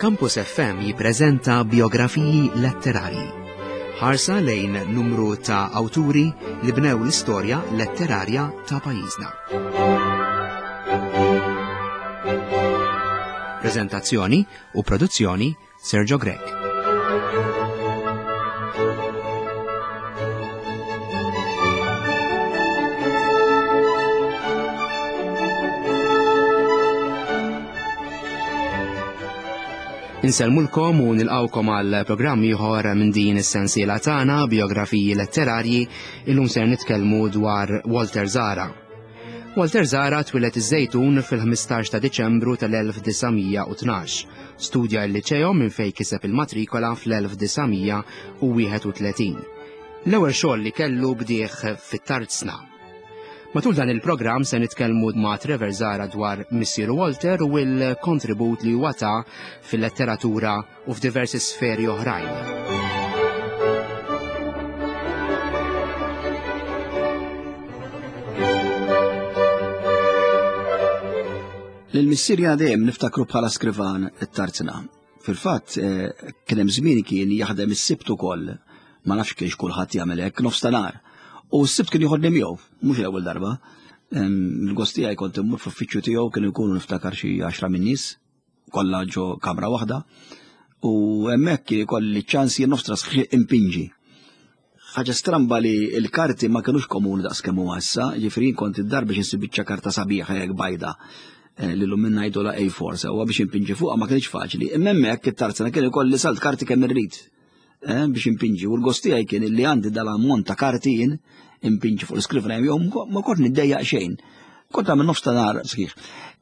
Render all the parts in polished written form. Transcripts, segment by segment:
Campus FM jippreżenta biografiji letterarji. Ħarsa lejn numru ta' awturi li bnew l-istorja letterarja ta' pajjiżna. Preżentazzjoni u produzzjoni Sergio Grech. Insellmulkom u nilqawkom għal programm ieħor minn din is-sensiela tagħna biografiji letterarji illum ser nitkellmu dwar Walter Zara. Walter Zara twieled iż-Żejtun fil-15 ta' Diċembru tal-1912. Studja l-liċeo minn fejn kiseb il-matrikola fl-1931. L-ewwel xogħol li kellu bdieh fit-tarzna. Matul dan il-programm se nitkellmu ma' Trevor Zara dwar missieru Walter u l-kontribut li huwa ta fil-letteratura u f'diversi sferi oħrajn. Lil missier dejjem niftakru bħala skrivan it-tarzna. Fil-fatt, eh, kien hemm żmien kien jaħdem is-sibt ukoll, ma nafx kienx kulħadd jagħmel hekk nofs ta' nar. U s-sibt kien joħodni miegħu, mhux l-ewwel darba. Il-gost tiegħi kont immur fl-uffiċċju tiegħu kienu jkunu niftakar xi għaxra min-nies, kollha ġo kamra waħda u hemmhekk ikolli ċans jien nofs sħiħ impinġi. Ħaġa stramba li l-karti ma kinux komuni daqs kemm huwa issa, ġifieri kont id-dar biex insib biċċa karta sabiħa jekk bajda eh, li l-lum minna jgħidu la A4 sewwa biex impinġi fuqha ma kienx faċli. Imma hemmhekk it-tarzna kien ikolli salt karti kemm irrid. Eh, biex impinġi u l-gost tiegħi kien li għandi dal-ammont ta' karti jien impinġi fuq l-iskrivna jew ma kont niddejjaq xejn. Kont għamil nofs ta' nar sħiħ.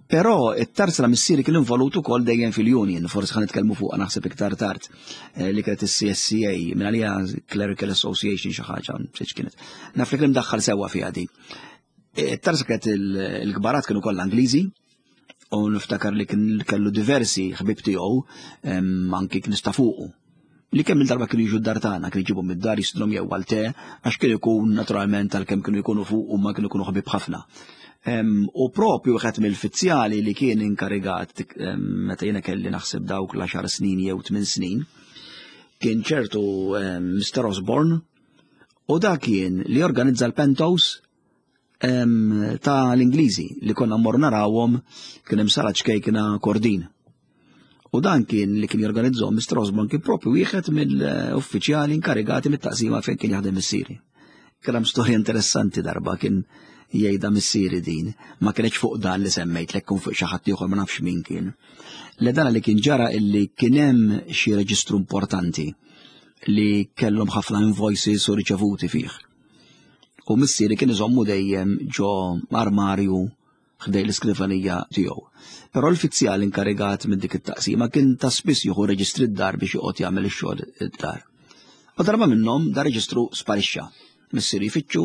Però it-tarzna missieri kien involut ukoll dejjem fil-union, forsi ħan nitkellmu fuq naħseb iktar tard, eh, li kienet is-CSCA, minn għalija Clerical Association xi ħaġa, xi kienet. Naf li kien daħħal sewwa fiha di. Eh, it-tarzna kienet il-kbarat kienu kollha Ingliżi, u niftakar li kien kellu diversi ħbib tiegħu anki kien nista' fuqu. Li kemm il-darba kienu jiġu d-dar tagħna, kienu jġibu mid-dar jistidhom jew għal te, għax kien ikun naturalment għalkemm kienu jkunu fuq u ma kienu jkunu ħbib ħafna. U propju wieħed mill-fizzjali li kien inkarigat meta jiena kelli naħseb dawk l-10 snin jew 8 snin, kien ċertu Mr. Osborne u dak kien li organizza l-pentos ta' l-Ingliżi li konna mmorru narawhom kien hemm sala ċkejkna Kordin. U dan kien li kien jorganizzhom Mr. Osborne kien propju wieħed mill-uffiċjali inkarigati mit-taqsima fejn kien jaħdem missieri. Kien hemm storja interessanti darba kien jgħidha missieri din, ma kienx fuq dan li semmejt lek kun fuq xi ħadd ieħor ma nafx min kien. Le dan li kien ġara illi kien hemm xi reġistru importanti li kellhom ħafna invoices u riċevuti fih. U missieri kien iżommu dejjem ġo armarju ħdej l-iskrivanija tiegħu. Però l-fizzjal inkarigat minn dik it-taqsima kien ta' spiss jieħu reġistri d-dar biex joqgħod jagħmel ix-xogħol id-dar. U darba minnhom da reġistru sparixxa. Missieri jfittxu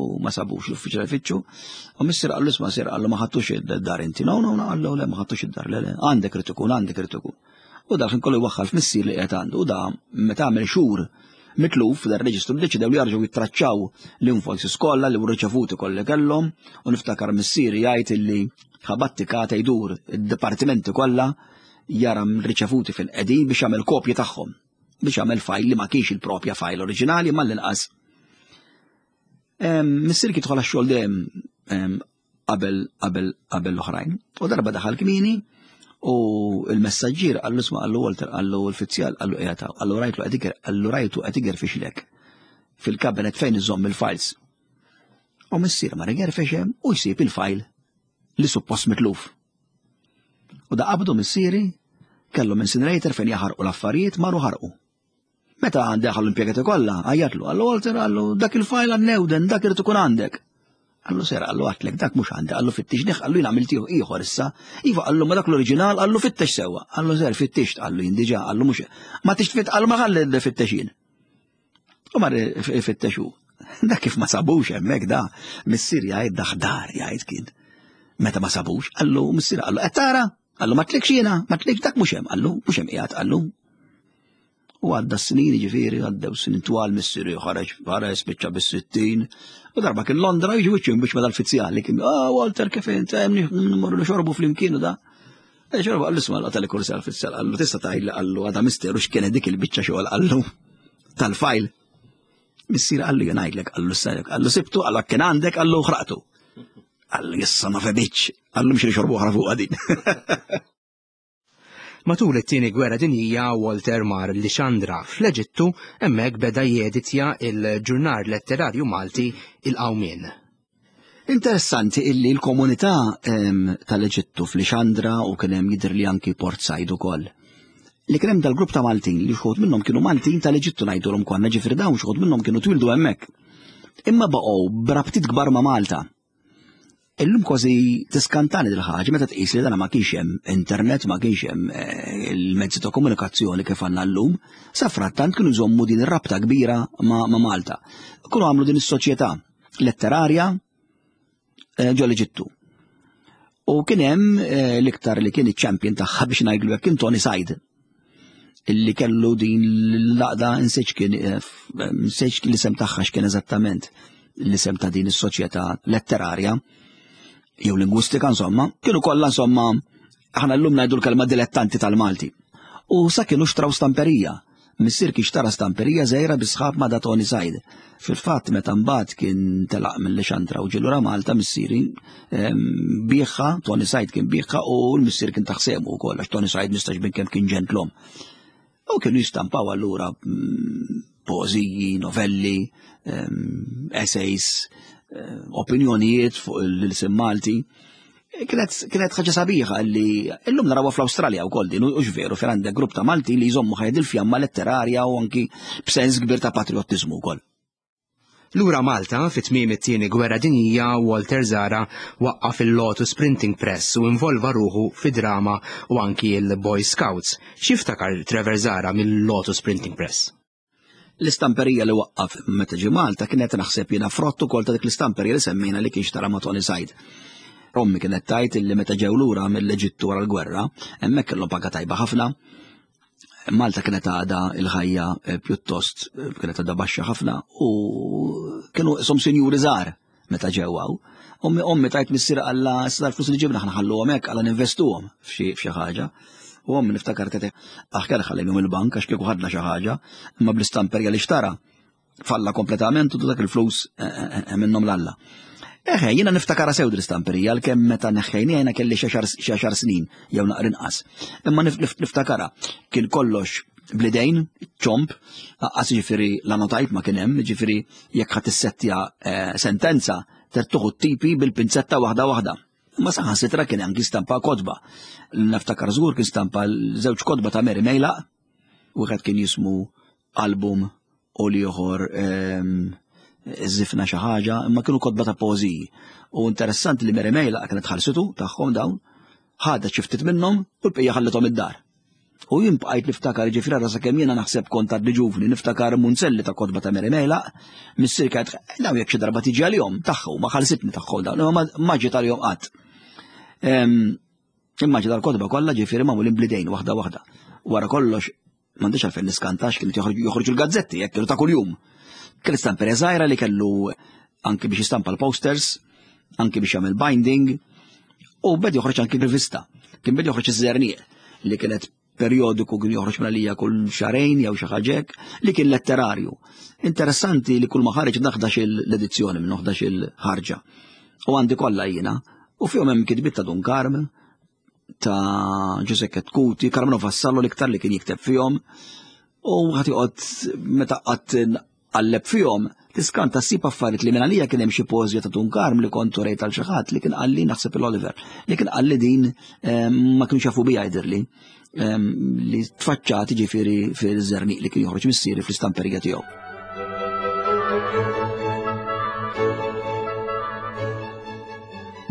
u ma sabux l-uffiċjal jfittxu. U missier qallu isma' sir qallu ma ħadtux id-dar inti. No, no, no, qallu le ma ħadtux id-dar, le, le, għandek irid ikun, għandek irid ikun. U dak kollu jwaħħal f'missier li qiegħed għandu u da meta għamel xhur mitluf dar reġistru ddeċidew li jarġgħu jittraċċaw l-invoices kollha li riċevuti kollha kellhom u niftakar missieri jgħid illi ħabattikata jdur id-dipartimenti kollha jara riċevuti fil-qegħdin biex jagħmel kopji tagħhom biex jagħmel fajl li ma kienx il-propja fajl oriġinali ma l-inqas. Missier kien jidħol għax-xogħol dejjem qabel qabel qabel l-oħrajn. U darba daħal kmini u il-messaġġier qallu isma' qallu Walter qallu l-fizzjal qallu qiegħed qallu rajtlu qed qallu rajtu qed igerfixlek fil-kabinet fejn iżomm il-files. U missier ma igerfex hemm u jsib il-file li suppost mitluf. U da qabdu missieri kellhom incinerator fejn jaħarqu l-affarijiet marru ħarqu. Meta daħal l-impjegati kollha, għajjatlu, għallu Walter, għallu dak il-fajl għannewden, dak irid ikun għandek. Għallu sera, għallu għatlek, dak mhux għandi, għallu fittix neħ, għallu jien għamilt ieħor issa. Iva għallu ma dak l-oriġinal, għallu fittex sewwa. Għallu ser fittixt, għallu jien diġà, għallu mhux. Ma tix tfitt, għallu ma ħalli fittex jien. U mar ifittexu. Dak kif ma sabux hemmhekk da, missier jgħid daħdar jgħid kien. Meta ma sabux, għallu missier għallu qed tara, għallu ma tlikx jiena, ma tlikx dak mhux hemm, għallu mhux hemm qiegħed għallu. U għadda s-snin ġifieri, għaddew snin twal missieri ħareġ ħareġ spiċċa bis-60. U darba kien Londra jiġi wiċċ biex ma dal-fizzjali kien, ah Walter kif int, hemm nmorru nixorbu flimkien u da. Xorba qallu isma' tal kursal fis-sal qallu tista' tgħidli qallu għadha misteru x'kienet dik il-biċċa xogħol qallu tal-fajl. Missier qallu jien ngħidlek qallu s qallu sibtu qallu kien għandek qallu ħraqtu. Qallu jissa ma febitx, qallu mxi xorbu oħra fuq din. Matul it-Tieni Gwerra Dinjija Walter mar Lixandra fl-Eġittu hemmhekk beda jeditja il-ġurnar letterarju Malti Il-Qawmien. Interessanti illi l-komunità ehm, tal-Eġittu fl-Ixandra u kien hemm jidher li anki Port Said ukoll. Li kien hemm dal-grupp ta' Maltin li xħud minnhom kienu Maltin tal-Eġittu ngħidulhom konna ġifieri dawn xħud minnhom kienu twildu hemmhekk. Imma baqgħu b'rabtiet kbar ma' Malta. Illum kważi tiskantani dil ħaġa meta tqis li dana ma kienx hemm internet, ma kienx hemm eh, il-mezzi ta' komunikazzjoni kif għandna llum, sa frattant kienu jżommu din ir-rabta kbira ma' Malta. Kienu għamlu din is-soċjetà letterarja eh, ġo l-Eġittu. U kien hemm eh, l-iktar li kien iċ-champion tagħha biex ngħidlu hekk kien Tony Said illi kellu din l-laqda insejx kien eh, insejx l-isem tagħha x'kien eżattament l-isem ta' din is-soċjetà letterarja jew lingwistika insomma, kienu kollha insomma aħna llum ngħidu l-kelma dilettanti tal-Malti. U sa kienu xtraw stamperija Missier kien xtara stamperija żgħira bi sħab ma' da Tony Said. Fil-fatt meta mbagħad kien telaq mill-Lixandra u ġie lura Malta missieri biegħha, Tony Said kien biegħha u l-missier kien taħsemu wkoll għax Tony Said mistax bin kemm kien ġentlom. U kienu jistampaw allura mm, poeżiji, novelli, essays, opinjonijiet fuq l-ilsien Malti. Kienet kienet ħaġa sabiħa li illum narawha fl-Awstralja wkoll din u veru fejn għandek grupp ta' Malti li jżommu ħajja il-fjamma letterarja u anki b'sens kbir ta' patriottiżmu wkoll. Lura Malta, fi tmiem it-Tieni Gwerra Dinjija, Walter Zahra waqqaf il-Lotus Printing Press u involva ruħu fid-drama u anki l-Boy Scouts. X'jiftakar Trevor Zahra mill-Lotus Printing Press? L-istamperija li waqqaf meta ġie Malta kienet naħseb jiena frott ukoll ta' dik l-istamperija li semmejna li kien xtara ma' Tony Said. Ommi kienet tgħid illi meta ġew lura mill-Eġittu wara l-gwerra, hemmhekk kellhom paga tajba ħafna. Malta kienet għadha il-ħajja eh, pjuttost eh, kienet għadha baxxa ħafna u kienu som sinjuri żgħar meta ġew hawn. Ommi ommi tajt missier alla issa l-flus li ġibna ħna ħalluhom hekk alla ninvestuhom f'xi ħaġa. U ommi niftakar tete aħjar ħallejhom il-bank għax kieku ħadna xi ħaġa, imma bl-istamperja li xtara falla kompletament u dak il-flus eh, eh, eh, minnhom l-alla. Eħe, jiena niftakara sew l-istamperija għalkemm meta neħħejni jiena kelli xi għaxar snin jew naqra inqas. Imma niftakara kien kollox blidejn, ċomp, għas ġifiri l-anotajp ma kien hemm, ġifiri jekk ħadd issettja eh, sentenza tertuħu t-tipi bil-pinzetta waħda waħda. Ma saħan sitra kien anki stampa kotba. Naftakar żgur kien stampa żewġ kotba ta' Mary Mejla, wieħed kien jismu album u l-ieħor ehm, żifna xi ħaġa, imma kienu kotba ta' poeżiji. U interessanti li Mary Mejla kienet ħalsitu tagħhom dawn, ħadet xi ftit minnhom u l-bqija ħallithom id-dar. U jien bqajt niftakar ġifri għara sakemm jiena naħseb kont għadni ġuvni, niftakar munzelli ta' kotba ta' Mary Mejla, missier kienet dawn jekk xi darba tiġi għalihom tagħhom, ma ħalsitni tagħhom dawn, imma ma ġiet għalihom qatt. Ehm, imma ġiet għal-kotba kollha ġifieri magħmulin blidejn waħda waħda. Wara kollox m'għandix għalfejn niskantax kien joħorġu l-gazzetti jekk kienu ta' kuljum. Kien istamperja żgħira li kellu anki biex jistampa l-posters, anki biex jagħmel binding, u bed joħroġ anki rivista. Kien bed joħroġ iż-żerniq li kienet periodiku kien joħroġ minn għalija kull xarejn jew xi ħaġa li kien letterarju. Interessanti li kull ma ħareġ naħdax l-edizzjoni minn 11 il-ħarġa. U għandi kollha jiena u fihom hemm kitbiet ta' Dun Karm, ta' Giuseppe Ketkuti, Carmelo Vassallo l-iktar li kien jikteb fihom u ħadd joqgħod meta qatt qalleb fihom tiskanta ssib affarijiet li minn għalija kien hemm xi poeżija ta' Dun Karm li kont urejt għal xi ħadd li kien qalli naħseb il-Oliver li kien qalli din ehm, ma kienx jafu bija jidhirli ehm, li tfaċċat ġifieri fil-żerniq li kien joħroġ missieri fl-istamperija tiegħu.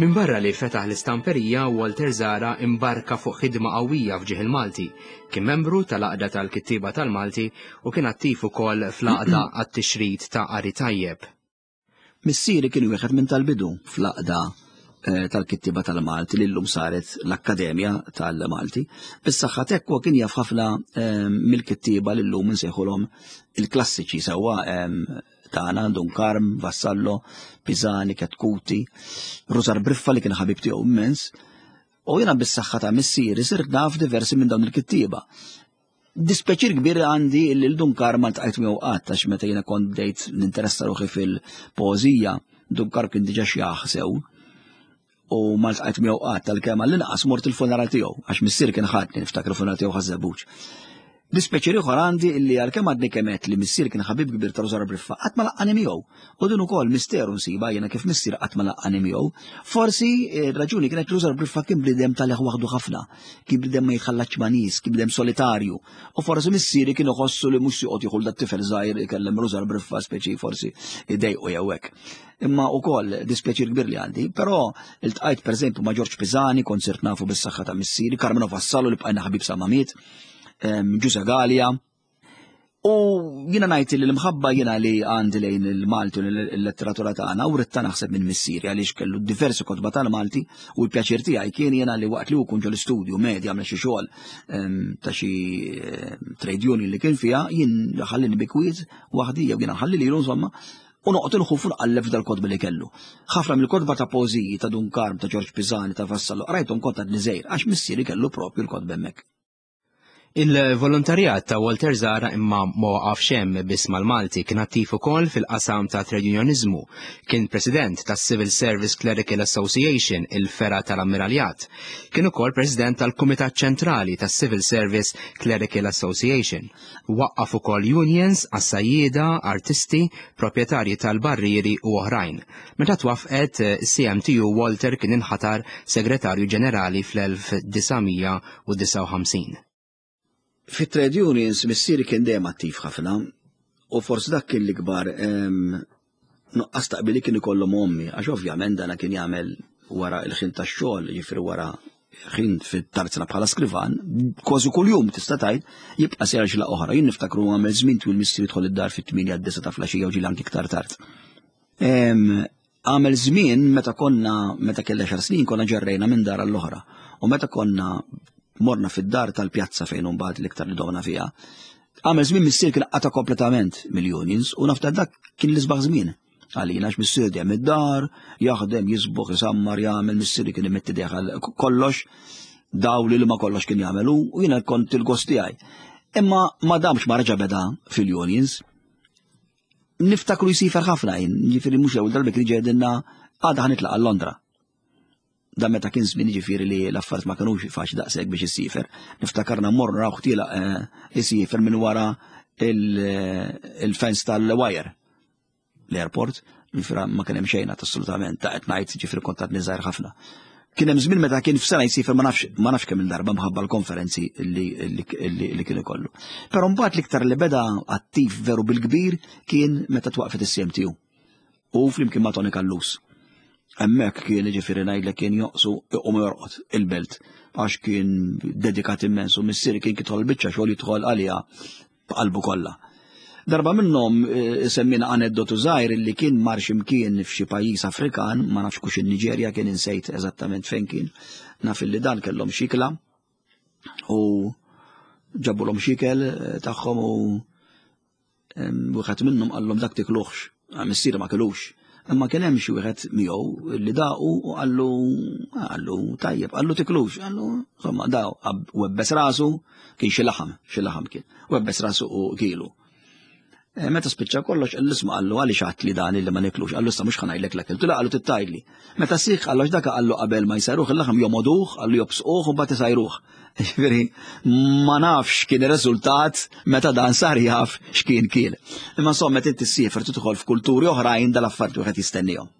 Minbarra li fetaħ l-istamperija, Walter Zahra imbarka fuq ħidma qawwija f'ġieħ il-Malti. Kien membru tal-Għaqda tal-Kittieba tal-Malti u kien attiv ukoll fl-Għaqda għat-Tixrid ta' Qari Tajjeb. Missieri kien wieħed minn tal-bidu fl-Għaqda eh, tal-Kittieba tal-Malti li llum saret l-Akkademja tal-Malti. Bis-saħħa t'hekk huwa kien jaf ħafna eh, mill-kittieba li llum insejħulhom il-klassiċi sewwa eh, tagħna Dun Karm, Vassallo, Pisani, Ketkuti, Rusar Briffa li kien ħabib tiegħu immens. U jiena bis-saħħa ta' missieri sirt naf diversi minn dawn il-kittieba. Dispjaċir kbir għandi li l-Dun Karm ma ltqajt miegħu qatt għax meta jiena kont bdejt ninteressa ruħi fil-poeżija, Dun Karm kien diġà xjaħ sew u ma ltqajt miegħu qatt għalkemm għall-inqas mort il-funeral tiegħu għax missier kien ħadni niftakar il-funeral tiegħu Ħaż-Żebbuġ. Dispjaċir ieħor għandi illi għalkemm għadni kemm għedt li missier kien ħabib kbir ta' Rużar Briffa, qatt ma laqqani miegħu. U din ukoll misteru nsibha jiena kif missier qatt ma laqqani miegħu. Forsi r-raġuni kienet li Rużar Briffa kien bniedem talih waħdu ħafna, kien bniedem ma jitħallatx ma' nies, kien bniedem solitarju. U forsi missieri kien iħossu li mhux se joqgħod jieħu dat-tifel żgħir ikellem Rużar Briffa speċi forsi idejqu jew hekk. Imma ukoll dispjaċir kbir li għandi, però iltqajt pereżempju ma' Ġorġ Pisani, kont sirt nafu bis-saħħa ta' missieri, Carmelo Vassallo li bqajna ħabib sa ma miet. Ġużè Galea. U jiena ngħid li l-imħabba jiena li għandi lejn il-Malti u l-letteratura tagħna u ritta naħseb minn missieri għaliex kellu diversi kotba tal-Malti u l-pjaċir tiegħi kien jiena li waqt li hu kun ġol-istudju medja għamel xi xogħol ta' xi trade union li kien fiha jien ħallini bi kwiet waħdi jew jiena ħalli lilu insomma u noqgħod inħuf u nqalleb f'dal-kotba li kellu. Ħafna mill-kotba ta' poeżiji ta' Dun Karm, ta' Ġorġ Pisani, ta' Vassallo qrajthom kont għadni żgħir għax missieri kellu propju l-kotba hemmhekk. Il-volontarjat ta' Walter Zahra imma ma waqafx hemm biss mal-Malti, kien attiv ukoll fil-qasam ta' trade unioniżmu. Kien president tas-Civil Service Clerical Association, il-fergħa tal-Ammiraljat. Kien ukoll president tal-Kumitat Ċentrali tas-Civil Service Clerical Association. Waqqaf ukoll unions għas-sajjieda, artisti, proprjetarji tal-barrieri u oħrajn. Meta twaffqet is-CMTU Walter kien inħatar Segretarju Ġenerali fl-1900 1959. Fit-trade unions missieri kien dejjem attiv ħafna u forsi dak kien l-ikbar nuqqas taqbil li kien ikollhom ommi għax ovvjament dana kien jagħmel wara l-ħin tax-xogħol, jiġifieri wara ħin fit-tarzna bħala skrivan, kważi kuljum tista' tgħid jibqa' sejjer xi oħra. Jien niftakru għamel żmien twil missieri jidħol id-dar fit-8 d-disa ta' flaxija u ġieli anki iktar tard. Għamel żmien meta konna meta kelli xar snin konna ġerrejna minn dar għall-oħra. U meta konna morna fid-dar tal-pjazza fejn imbagħad l-iktar li domna fiha. Għamel żmien missier kien qata' kompletament mill-unions u nafta dak kien l-isbaħ żmien għalina għax missier dejjem id-dar, jaħdem, jisbuħ, jisammar, jagħmel, missieri kien imetti deħal kollox, dawl li ma kollox kien jagħmel u jiena kont il-gost tiegħi. Imma ma damx ma reġa' beda fil-unions. Niftakru jsifer ħafna jien, ġifieri mhux l-ewwel darba kien ġedinna għadha ħanitlaq għal Londra. Dan meta kien żmien ġifieri li l-affarijiet ma kinux faċli daqshekk biex issifer. Niftakarna mmorru narawh tielaq eh, isifer minn wara eh, il-fence tal-wire l-airport, ġifieri ma kien hemm xejn assolutament ta' qed ngħid ġifieri kont għadni żgħir ħafna. Kien hemm żmien meta kien f'sena jsiefer ma nafx ma nafx kemm il-darba mħabba l-konferenzi li, li, li, li kien ikollu. Però mbagħad l-iktar li beda attiv veru bil-kbir kien meta twaqfet is-CMTU. U flimkien ma' Tony Callus. Hemmhekk kien jiġifieri ngħidlek kien joqsu iqum jorqod il-belt għax kien dedikat immens u missieri kien kidħol biċċa xogħol jidħol għaliha b'qalbu kollha. Darba minnhom eh, semmina aneddotu żgħir li kien mar x'imkien f'xi pajjiż Afrikan, ma nafx kux in-Niġerja kien insejt eżattament fejn kien, naf illi dan kellhom xikla u ġabulhom xikel eh, tagħhom u wieħed minnhom qallhom dak tikluħx, missieri ma kilux. Imma kien hemm xi wieħed miegħu li daqu u qallu qallu tajjeb, qallu tiklux, qallu insomma daw webbes rasu kien xi laħam, xi laħam kien, webbes rasu u kilu. Eh, meta spiċċa kollox, l-isma qallu għaliex għat li dan li ma niklux, qallu issa mhux ħanajlek l-akil, tula qallu tittajli. Meta sieħ qallu dak qallu qabel ma jsajruh il-laħam jomoduh, qallu jobsquh u mbagħad isajruh. Ġifieri ma nafx kien ir-riżultat meta dan sar jaf x'kien kien. Imma insomma meta inti ssiefer tidħol f'kulturi oħrajn dal-affarijiet wieħed jistennihom.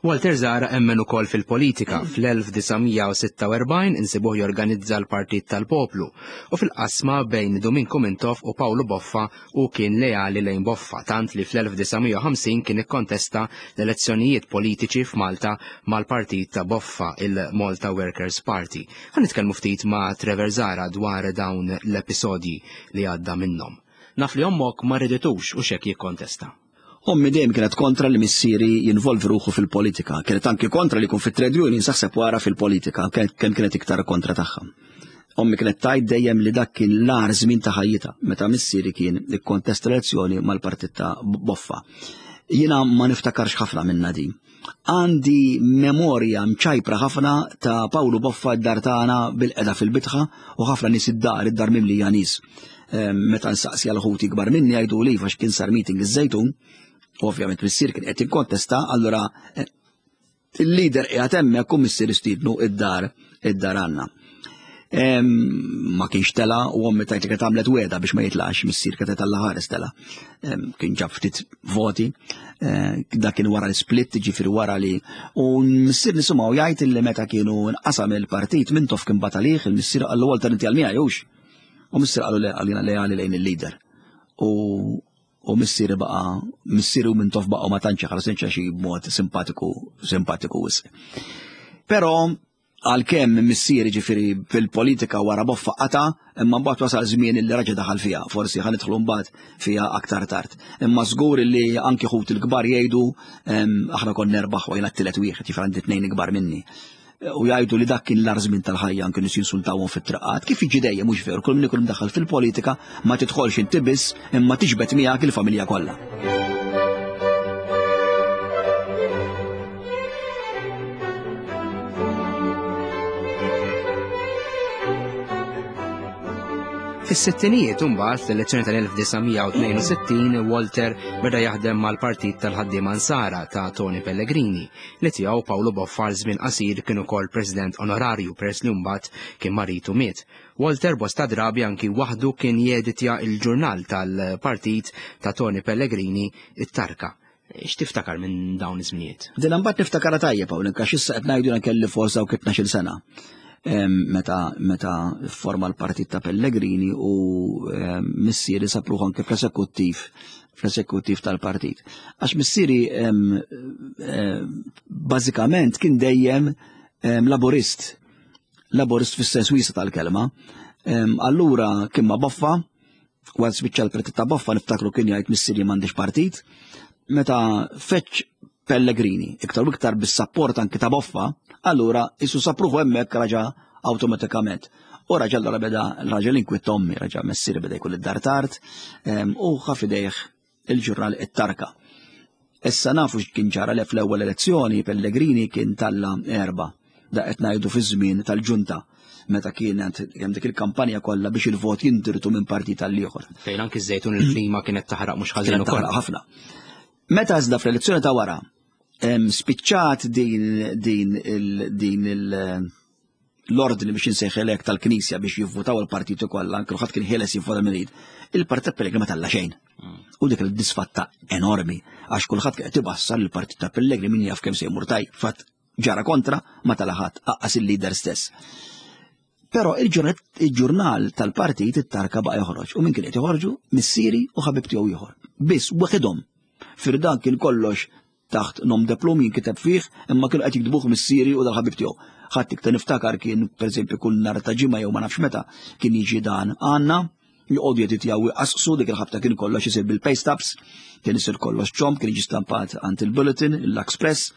Walter Zahra emmen ukoll fil-politika. Fl-1946 insibuh jorganizza l-Partit tal-Poplu u fil-qasma bejn Duminku Mintoff u Pawlu Boffa hu kien leali lejn Boffa tant li fl-1950 kien ikkontesta l-elezzjonijiet politiċi f'Malta mal-partit ta' Boffa, il-Malta Workers' Party. Ħa nitkellmu ftit ma' Trevor Zahra dwar dawn l-episodji li għadda minnhom. Naf li ommok ma riditux u x'hekk jikkontesta. Ommi dejjem kienet kontra li missieri jinvolvi ruħu fil-politika. Kienet anki kontra li jkun fit-trade union saħseb wara fil-politika, kemm kienet iktar kontra tagħha. Ommi kienet tgħid dejjem li dak kien l-agħar żmien ta' ħajjitha meta missieri kien ikkontesta l-elezzjoni mal-partit ta' Boffa. Jiena ma niftakarx ħafna minna din. Għandi memorja mċajpra ħafna ta' Pawlu Boffa d-dar tagħna bil-qeda fil-bitħa u ħafna nies id-dar, id-dar mimlija nies. Ehm, meta nsaqsi għal ħuti kbar minni jgħidu li għax kien sar meeting iż-Żejtun, ovvjament missier kien qed jikkontesta, allura eh, Il-leader qiegħed hemmhekk u missier istiednu id-dar id-dar għandna. Ma kienx tela u ommi tajt li kienet għamlet weda biex ma jitlax, missier kienet alla ħares tela. Kien ġab ftit voti, eh, dak kien wara l-split, ġifieri wara li. U missier nisimgħu jgħid li meta kienu nqasam il-partit minn tof kien batalih, il-missier qallu Walter inti għal miegħi hux. U missier qallu le għalina leali lejn il-leader. U u missieri baqa' missieri u Mintoff baqgħu ma tantx ħarsin xi b'mod simpatiku simpatiku wisq. Però għalkemm missieri ġifieri fil-politika wara boffa qata, imma mbagħad wasal żmien li raġa daħal fiha, forsi ħa nidħlu mbagħad fiha aktar tard. Imma żgur li anki ħut il-kbar jgħidu aħna konna nerbaħ u jiena t-tielet wieħed, ġifieri għandi tnejn ikbar minni u jgħidu li dak kien l-ar żmien tal-ħajja anke nies jinsultawhom fit-triqat. Kif jiġi dejjem mhux veru, kull min ikun imdaħħal fil-politika ma tidħolx inti biss imma tiġbed miegħek il-familja kollha. Fis-sittinijiet imbagħad fl-elezzjoni tal-1962 Walter beda jaħdem mal-Partit tal-Ħaddiema Nsara ta' Tony Pellegrini li tiegħu Pawlu Boffa għal żmien qasir kien ukoll President Onorarju peress li mbagħad kien marid u miet. Walter bosta drabi anki waħdu kien jeditja il-ġurnal tal-partit ta' Tony Pellegrini, it-Tarka. X'tiftakar minn dawn iż-żminijiet? Din mbagħad niftakarha tajjeb hawn għax issa qed ngħidu kelli forsa u 12-il sena meta meta forma l-partit ta' Pellegrini u missieri sapruħ anke fl-esekuttiv fl-esekuttiv tal-partit. Għax missieri bażikament kien dejjem laburist, laburist fis-sens wiesa tal-kelma. Allura kien ma' Boffa, wara spiċċa l-partit ta' Boffa niftakru kien jgħid missieri m'għandix partit. Meta feċ Pellegrini, iktar u iktar bis-sapport anki ta' Boffa, allura isu sapruħu hemmhekk raġa' awtomatikament. U raġa' allura beda raġel inkwiet ommi, raġa' messieri beda jkun id-dar tard, u ħa f'idejh il-ġurnal it-Tarka. Issa nafu x'kien ġara li fl-ewwel elezzjoni Pellegrini kien talla erba' da qed ngħidu fiż-żmien tal-ġunta meta kienet hemm dik il-kampanja kollha biex il-vot jindirtu minn partit għal ieħor. Fejn anki żejtun il-klima kienet taħraq mhux ħażin ukoll. Ħafna. Meta iżda fl-elezzjoni ta' wara spiċċat din din il din il l-ordni biex insejħilek tal-Knisja biex jivvutaw il-partiti kollha, anke ħadd kien ħieles jivvota min irid. Il-Partit ta' Pellegrini ma talla xejn. Mm. U dik il-disfatta enormi għax kulħadd kien qed ibassar il-Partit ta' Pellegrini min jaf kemm se jmur taj, fatt ġara kontra ma tala ħadd aqqas il-leader stess. Però il-ġurnal tal-partit it-tarka baqa' joħroġ u min kien qed joħorġu missieri u ħabib tiegħu ieħor. Biss waħedhom. Firdan kien kollox taħt nom de plum jinkiteb fih, imma kienu qed jiktbuh missieri u dal-ħabib tiegħu. Ħadd iktar niftakar kien pereżempju kull nhar ta' ġimgħa jew ma nafx meta kien jiġi dan għandna joqogħdu jeditjaw jqasqsu dik il-ħabta kien kollox isir bil-pay stubs, kien isir kollox ċomb, kien jiġi stampat għand il-Bulletin, l-Express.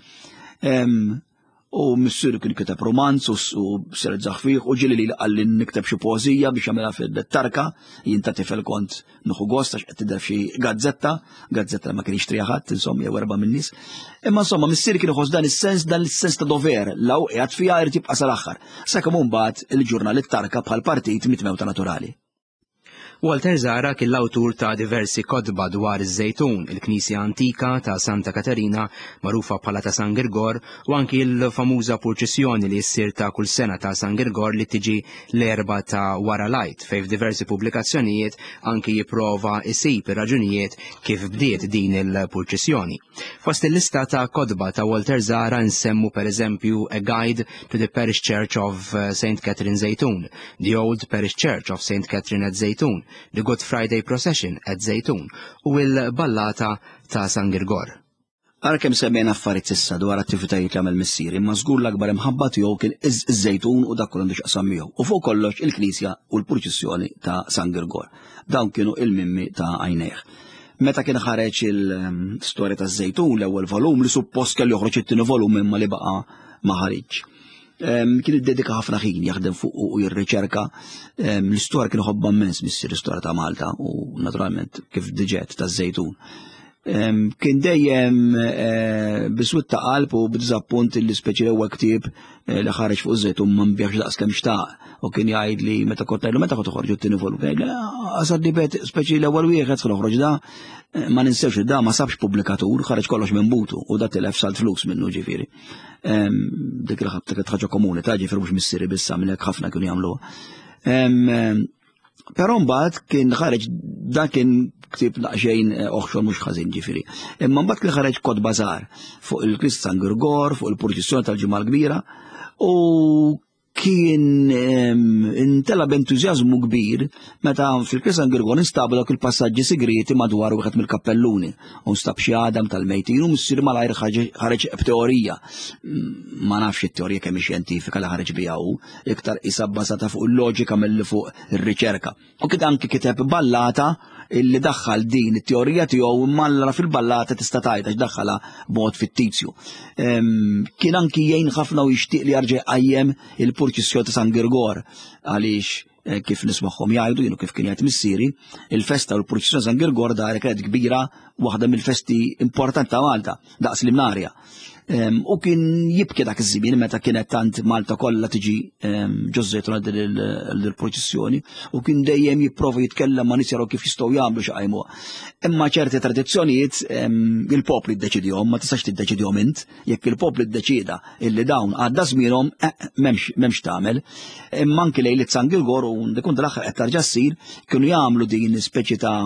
U missiru kien kiteb romanz u serzaħ fih u ġili li qalli nikteb xi poeżija biex jagħmilha fil-tarka, jien ta' tifel kont nieħu gost għax qed tidher f'xi gazzetta, gazzetta ma kienx triha ħadd, insomma jew erba' min-nies. Imma insomma missieri kien iħoss dan is-sens, dan is-sens ta' dover, law qiegħed fiha irid jibqa' sal-aħħar. Sakemm mbagħad il-ġurnal it-tarka bħal partit mitmewta naturali. Walter Zahra kien l-awtur ta' diversi kotba dwar iż-Żejtun, il-knisja antika ta' Santa Katerina magħrufa bħala ta' San Girgor u anki l-famuża purċissjoni li ssir ta' kull sena ta' San Girgor li tiġi l-Erbgħa ta' wara l-Għid fejn f'diversi pubblikazzjonijiet anki jipprova jsib ir-raġunijiet kif bdiet din il-purċissjoni. Fost il-lista ta' kotba ta' Walter Zahra nsemmu pereżempju A Guide to the Parish Church of St. Catherine Żejtun, The Old Parish Church of St. Catherine at Żejtun, The Good Friday Procession at Żejtun u l-Ballata ta' San Girgor. Ara kemm semmejna affarijiet s'issa dwar attivitajiet li għamel missieri, imma żgur l-akbar imħabba tiegħu kien iż-Żejtun u dak kollu għandu x'jaqsam miegħu, u fuq kollox il-knisja u l-purċissjoni ta' San Girgor. Dawn kienu il-mimmi ta' għajnejh. Meta kien ħareġ il-storja taż-Żejtun l-ewwel volum li suppost kellu joħroġ it-tieni volum imma li baqa' ma ħariġx. Kien iddedika ħafna ħin jaħdem fuq u jirriċerka. L-istorja kien iħobbha immens missier l-istorja ta' Malta u naturalment kif diġet taż-Żejtun. Kien dejjem eh, biswit ta' qalb u b'diżappunt li speċi l-ewwel ktieb eh, li ħareġ fuq żejt u ma nbieħx daqs kemm xtaq u kien jgħid li meta kont ngħidlu meta kont toħorġu t-tieni volum kien jgħidli għasad li bet speċi l-ewwel wieħed se noħroġ da eh, ma ninsewx li da ma sabx pubblikatur ħareġ kollox minn butu u da tilef salt flus minnu ġifieri. Dik il ħaġa komuni ta' ġifieri mhux missieri biss għamilek ħafna kienu jagħmluha. Però mbagħad kien ħareġ dan kien ktieb daqsxejn eh, oħxon mhux ħażin ġifieri. Imma mbagħad kien ħareġ kotba żgħar fuq il-Krist San Girgor, fuq il-purċissjoni tal-Ġimgħa l-Kbira u kien intela b'entużjażmu kbir meta fil-Krist San Girgor instabu dawk il-passaġġi sigriti madwar wieħed mill-kappelluni. U nstab xi għadam tal-mejtin u missier malajr ħareġ b'teorija. Ma nafx it-teorija kemm xjentifika li ħareġ biha hu, iktar qisha bbażata fuq il-loġika milli fuq ir-riċerka. U kien anki kiteb ballata illi daħħal din it-teorija tiegħu imma allura fil-ballata tista' tgħid għax daħħalha b'mod fittizju. Kien anki jgħin ħafna u jixtieq li jarġa' jqajjem il-purċissjoni ta' San Girgor għaliex eh, kif nismagħhom jgħidu jienu kif kien jgħid missieri, il-festa u l-purċissjoni San Girgor dar kienet kbira waħda mill-festi importanti ta' Malta, daqs l-Imnarja. U kien jibki dak iż-żmien meta kienet tant Malta kollha tiġi ġożżejtuna dil-proċessjoni u kien dejjem jipprova jitkellem ma' nies jaraw kif jistgħu jagħmlu xi qajmuha. Imma ċerti tradizzjonijiet il-poplu jiddeċidihom, ma tistax tiddeċidihom int, jekk il-poplu ddeċida illi dawn għadda żmienhom eh, m'hemmx m'hemmx tagħmel. Imma anki lejliet San Girgor u dikun tal-aħħar qed tarġa' ssir kienu jagħmlu din speċi ta'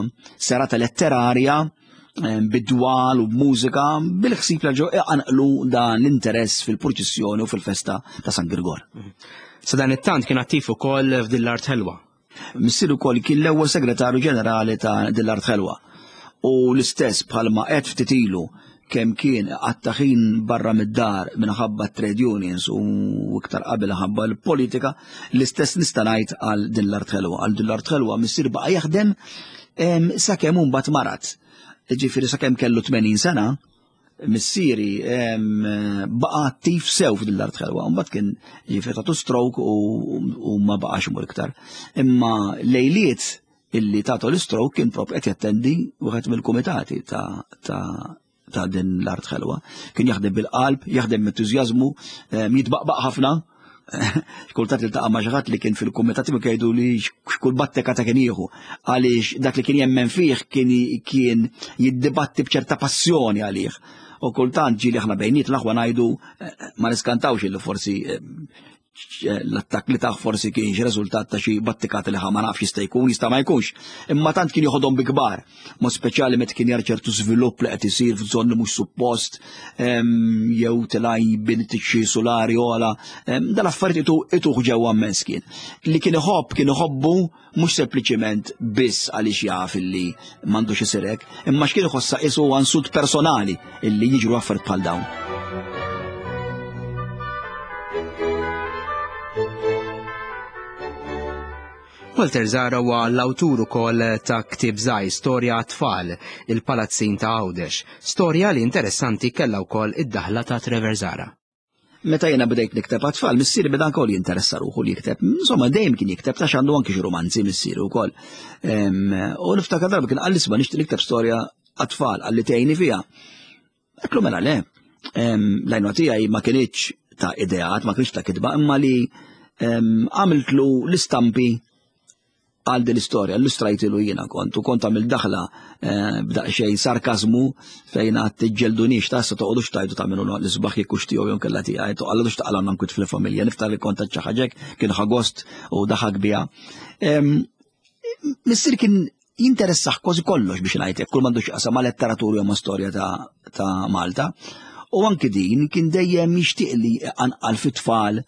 serata letterarja bid-dwal u b'mużika bil-ħsieb li ġew iqanqlu dan l-interess fil-purċissjoni u fil-festa ta' San Girgor. Sa dan it-tant kien attiv ukoll f'din l-art ħelwa. Missier ukoll kien l-ewwel segretarju ġenerali ta' din l-art ħelwa. U l-istess bħalma qed ftit ilu kemm kien qatta' ħin barra mid-dar minħabba trade unions u iktar qabel ħabba l-politika, l-istess nista' ngħid għal din l-art ħelwa. Għal din l-art ħelwa missier baqa' jaħdem sakemm hu mbagħad marad. Ġifieri sakemm kellu 80 sena, missieri baqa' attiv sew f'din l-art ħelwa, mbagħad kien ġifieri tatu stroke u ma baqax imur iktar. Imma lejliet illi tatu l-stroke kien propju qed jattendi wieħed mill-kumitati ta' ta' din l-art ħelwa. Kien jaħdem bil-qalb, jaħdem b'entużjażmu, jitbaqbaq ħafna. Kultant iltaqa' ma' xi ħadd li kien fil-kumitat tiegħu jgħidu li x'kull batteka ta' kien jieħu għaliex dak li kien jemmen fih kien kien jiddibatti b'ċerta passjoni għalih. U kultant ġieli aħna bejniet l-aħwa ngħidu eh, ma niskantawx illi forsi eh, l-attakk li taħ forsi kien xi riżultat ta' xi battikat li ma nafx jista' jkun, jista' ma jkunx. Imma tant kien joħodhom bi kbar, mod speċjali meta kien jar ċertu żvilupp li qed isir f'żoni mhux suppost, jew tilaj bini xi solari ola, dal-affarijiet ituh ġewwa immens kien. Li kien iħobb kien iħobbu mhux sempliċiment biss għaliex jaf illi m'għandux isir hekk, imma x'kien iħossha qisu insult personali illi jiġru affarijiet bħal dawn. Walter Zara huwa l-awtur ukoll ta' ktieb żgħir Storja għat-tfal, il-Palazzin ta' Għawdex, storja li interessanti kellha wkoll id-daħla ta' Trevor Zara. Meta jiena bdejt nikteb għat-tfal, missieri beda wkoll jinteressa ruħu li jikteb. Insomma, dejjem kien jikteb ta' xandu anki xi romanzi missieri wkoll. U niftakar darba kien qalli isma' nixtieq nikteb storja għat-tfal qalli tgħinni fiha. Għedtlu mela le. L-għajnuna tiegħi ma kinitx ta' ideat, ma kienx ta' kitba, imma li għamiltlu l-istampi għal din l-istorja, illustrajtilu jiena kont, u kont għamil daħla eh, b'daqsxejn sarkazmu fejn għad tiġġeldunix ta' sa toqgħodux tajdu tagħmlu l-isbaħ jekk hux tiegħu jew kellha tiegħi, toqgħodux taqalgħu nkwit fil-familja, niftar li kont xi ħaġek kien ħagost u daħak biha. Missier kien jinteressah kważi kollox biex ngħidlek, kull m'għandux qasam ma' letteratura jew ma' storja ta' Malta. U anki din kien dejjem jixtieq li anqal fit-tfal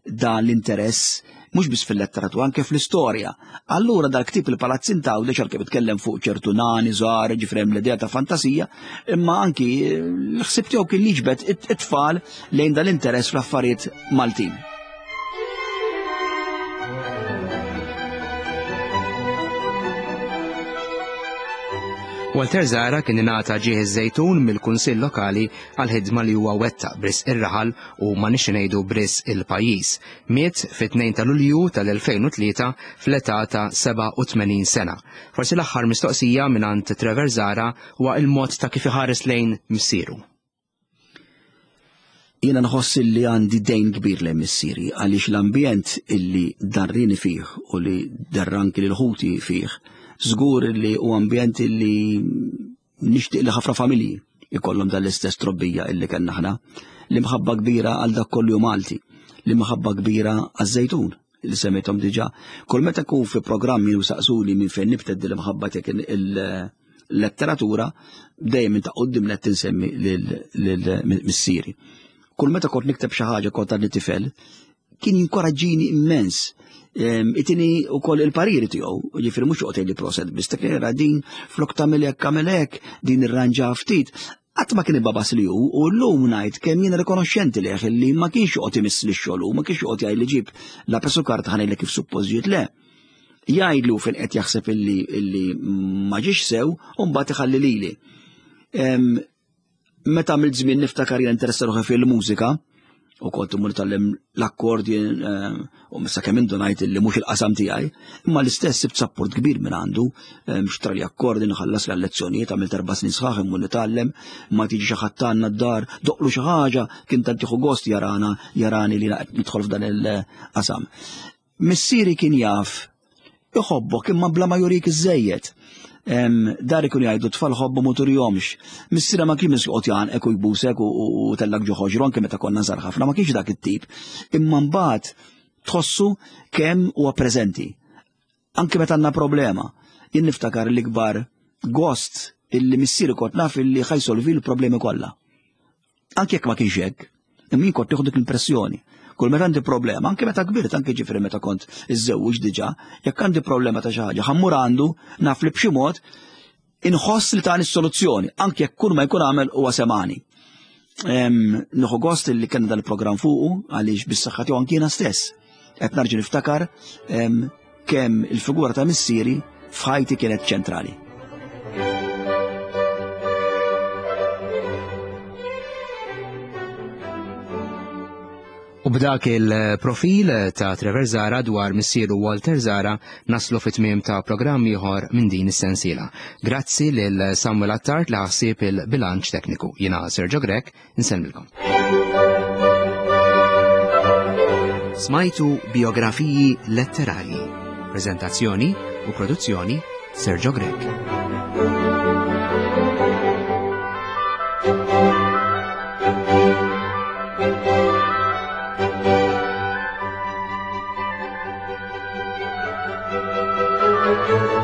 dan l-interess mhux biss fil-letteratura, anke fl-istorja. Allura dal-ktieb il-Palazzin ta' Għawdex għalkemm itkellem fuq ċertu nani żgħar, ġifri hemm l-idea ta' fantasija, imma anki l-ħsieb tiegħu kien jiġbed it-tfal lejn dal-interess fl-affarijiet Maltin. Walter Zara kien ingħata ġieħ iż-Żejtun mill-Kunsill Lokali għall-ħidma li huwa wettaq b'risq ir-raħal u ma nix ngħidu b'risq il-pajjiż. Miet fit-2 ta' Lulju tal-2003 fl-età ta' 87 sena. Forsi l-aħħar mistoqsija mingħand Trevor Zara huwa il-mod ta' kif iħares lejn missieru. Jiena nħoss li għandi dejn kbir lejn missieri għaliex l-ambjent illi darrini fih u li darranki lil ħuti fih, żgur li hu ambjent illi nixtieq li ħafna familji ikollhom dan l-istess trobbija illi kellna aħna. L-imħabba kbira għal dak kollu Malti, l-imħabba kbira għaż-Żejtun li semmejthom diġà. Kull meta nkun fi programmi u saqsuni minn fejn nibtet din l-imħabba tiegħek il-letteratura, dejjem minn ta' quddiem nett insemmi lil missieri. Kull meta kont nikteb xi ħaġa kont għadni tifel, kien jinkoraġġini immens. Itini u koll il-pariri tiegħu, ġifieri mhux joqgħod li proset biss ta' din flok tagħmel hekk tagħmel hekk, din irranġa ftit. Qatt ma kien ibabas li hu u llum ngħid kemm jiena rikonoxxenti lejh li ma kienx joqgħod imiss li xogħol ma kienx joqgħod jgħid li ġib la pesu karta ħanejlek kif suppost ġiet le. Jgħidlu fejn qed jaħseb illi illi ma ġiex sew u mbagħad iħalli lili. Meta għamilt żmien niftakar jien interessa ruħi fil-mużika, u kont imur nitgħallem l-akkordi eh, u missa kemm indunajt li mhux il-qasam tiegħi, imma l-istess sibt sapport kbir minn għandu, eh, mxtra li akkordi nħallas l lezzjonijiet għamilt erba' snin sħaħ immur nitgħallem, ma tiġi xi ħadd għandna d-dar, doqlu xi ħaġa, kien tant jieħu gost jarana, jarani li nidħol f'dan il-qasam. Missieri kien jaf iħobbok imma bla ma jurik iżżejjed. Dar ikun jgħidu tfal ħobbu ma turihomx. Missiera ma kienx joqgħod jgħanqek u jbusek u tellak ġo ħoġru anke meta konna żgħar ħafna, ma kienx dak it-tip. Imma mbagħad tħossu kemm huwa preżenti. Anke meta għandna problema. Jien niftakar l-ikbar gost illi missieri kont naf illi ħajsolvi l-problemi kollha. Anke jekk ma kienx hekk, imma jien kont nieħu dik l-impressjoni. Kull meta għandi problema, anke meta kbirt, anke ġifieri meta kont iżżewwiġ diġà, jekk għandi problema ta' xi ħaġa, ħammur għandu naf li b'xi mod inħoss li tani s-soluzzjoni, anke jekk kull ma jkun għamel huwa semani. Nieħu gost li kellna dan il-programm fuqu għaliex bis-saħħa tiegħu anke jiena stess. Qed narġa' niftakar kemm il-figura ta' missieri f'ħajti kienet ċentrali. U b'dak il-profil ta' Trevor Zara dwar missieru Walter Zara naslu fit-tmiem ta' programm ieħor minn din is-sensiela. Grazzi lil Samuel Attard li ħassib il-bilanċ tekniku. Jiena Sergio Grech, Insellmilkom. Smajtu biografiji letterarji. Prezentazzjoni u produzzjoni Sergio Grech. Thank you.